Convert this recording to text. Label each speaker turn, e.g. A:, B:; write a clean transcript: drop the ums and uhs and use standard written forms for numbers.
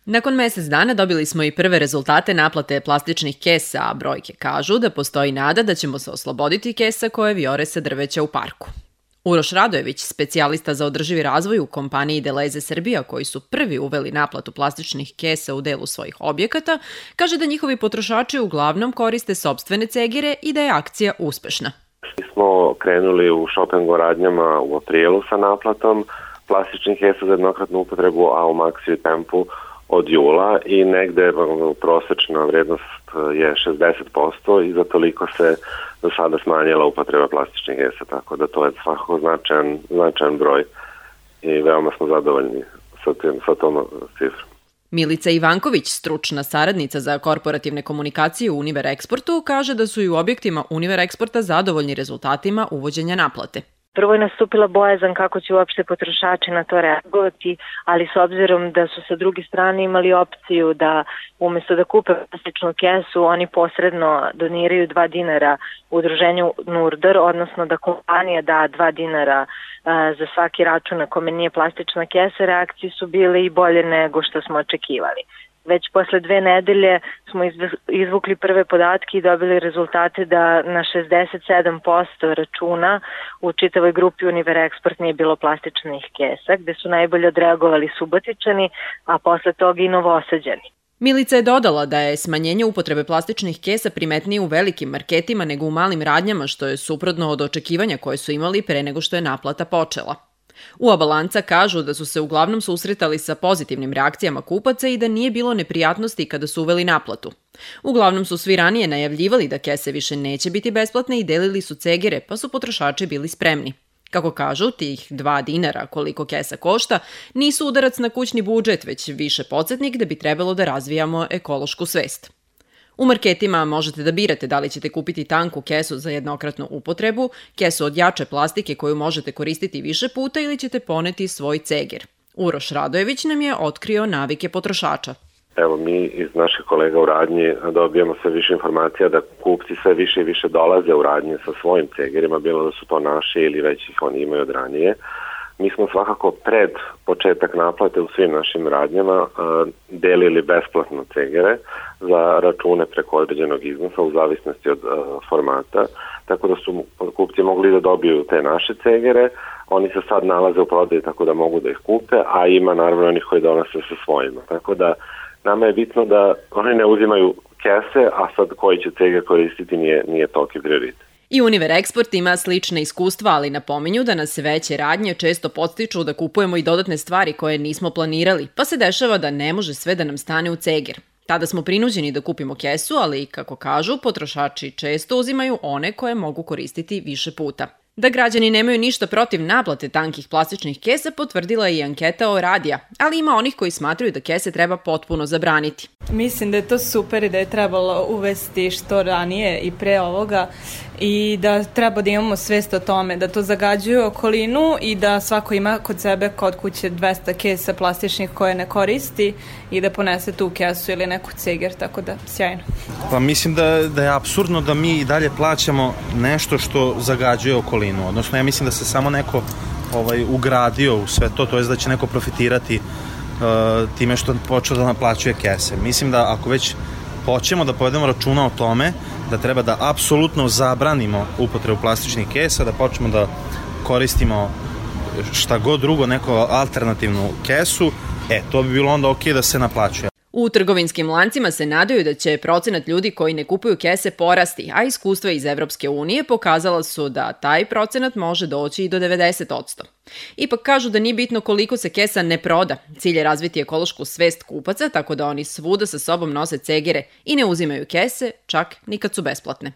A: Nakon mjesec dana dobili smo i prve rezultate naplate plastičnih kesa, a brojke kažu da postoji nada da ćemo se osloboditi kesa koje vijore sa drveća u parku. Uroš Radojević, specijalista za održivi razvoj u kompaniji Deleze Srbija, koji su prvi uveli naplatu plastičnih kesa u delu svojih objekata, kaže da njihovi potrošači uglavnom koriste sopstvene cegire i da je akcija uspešna.
B: Mi smo krenuli u šopingu radnjama u aprilu sa naplatom plastičnih kesa za jednokratnu upotrebu, a u Maxi tempu od jula i negde prosečna vrednost je 60% i za toliko se do sada smanjila upotreba plastičnih kesa, tako da to je svakako značajan broj i veoma smo zadovoljni sa tom cifrom.
A: Milica Ivanković, stručna saradnica za korporativne komunikacije u Univer Eksportu, kaže da su i u objektima Univer Eksporta zadovoljni rezultatima uvođenja naplate.
C: Prvo je nastupila bojazan kako će uopšte potrošači na to reagovati, ali s obzirom da su sa druge strane imali opciju da umjesto da kupe plastičnu kesu, oni posredno doniraju 2 dinara udruženju Nurdar, odnosno da kompanija da 2 dinara za svaki račun na kome nije plastična kesa, reakcije su bile i bolje nego što smo očekivali. Već posle 2 nedelje smo izvukli prve podatke i dobili rezultate da na 67% računa u čitavoj grupi Univer Eksport nije bilo plastičnih kesa, gde su najbolje odreagovali Subotičani, a posle toga i Novosađani.
A: Milica je dodala da je smanjenje upotrebe plastičnih kesa primetnije u velikim marketima nego u malim radnjama, što je suprotno od očekivanja koje su imali pre nego što je naplata počela. U Oba lanca kažu da su se uglavnom susretali sa pozitivnim reakcijama kupaca i da nije bilo neprijatnosti kada su uveli naplatu. Uglavnom su svi ranije najavljivali da kese više neće biti besplatne i delili su cegire, pa su potrošači bili spremni. Kako kažu, tih 2 dinara koliko kesa košta nisu udarac na kućni budžet, već više podsjetnik da bi trebalo da razvijamo ekološku svest. U marketima možete da birate da li ćete kupiti tanku kesu za jednokratnu upotrebu, kesu od jače plastike koju možete koristiti više puta ili ćete poneti svoj cegir. Uroš Radojević nam je otkrio navike potrošača.
B: Evo, mi iz naših kolega u radnji dobijamo sve više informacija da kupci sve više i više dolaze u radnje sa svojim cegirima, bilo da su to naši ili već ih oni imaju od ranije. Mi smo svakako pred početak naplate u svim našim radnjama delili besplatno cegire za račune preko određenog iznosa u zavisnosti od formata, tako da su kupci mogli da dobiju te naše cegire. Oni se sad nalaze u prodaji tako da mogu da ih kupe, a ima naravno onih koji donose sa svojima. Tako da nama je bitno da oni ne uzimaju kese, a sad koji će cegir koristiti nije toliki prioritet.
A: I Univer Eksport ima slične iskustva, ali napominju da nas veće radnje često podstiču da kupujemo i dodatne stvari koje nismo planirali, pa se dešava da ne može sve da nam stane u cegir. Tada smo prinuđeni da kupimo kesu, ali, kako kažu, potrošači često uzimaju one koje mogu koristiti više puta. Da građani nemaju ništa protiv naplate tankih plastičnih kesa potvrdila je i anketa o Radija, ali ima onih koji smatraju da kese treba potpuno zabraniti.
D: Mislim da je to super i da je trebalo uvesti što ranije i pre ovoga i da treba da imamo svest o tome, da to zagađuje okolinu i da svako ima kod sebe kod kuće 200 kesa plastičnih koje ne koristi i da ponese tu kesu ili neku cegir, tako da sjajno.
E: Pa mislim da je apsurdno da mi i dalje plaćamo nešto što zagađuje okolinu, odnosno ja mislim da se samo neko ugradio u sve to jest da će neko profitirati time što počeo da naplaćuje kese. Mislim da ako već hoćemo da povedemo računa o tome da treba da apsolutno zabranimo upotrebu plastičnih kesa, da počnemo da koristimo šta god drugo, neku alternativnu kesu, to bi bilo onda okej da se naplaćuje.
A: U trgovinskim lancima se nadaju da će procenat ljudi koji ne kupuju kese porasti, a iskustva iz Evropske unije pokazala su da taj procenat može doći i do 90%. Ipak kažu da nije bitno koliko se kesa ne proda. Cilj je razviti ekološku svest kupaca, tako da oni svuda sa sobom nose cegire i ne uzimaju kese, čak ni kad su besplatne.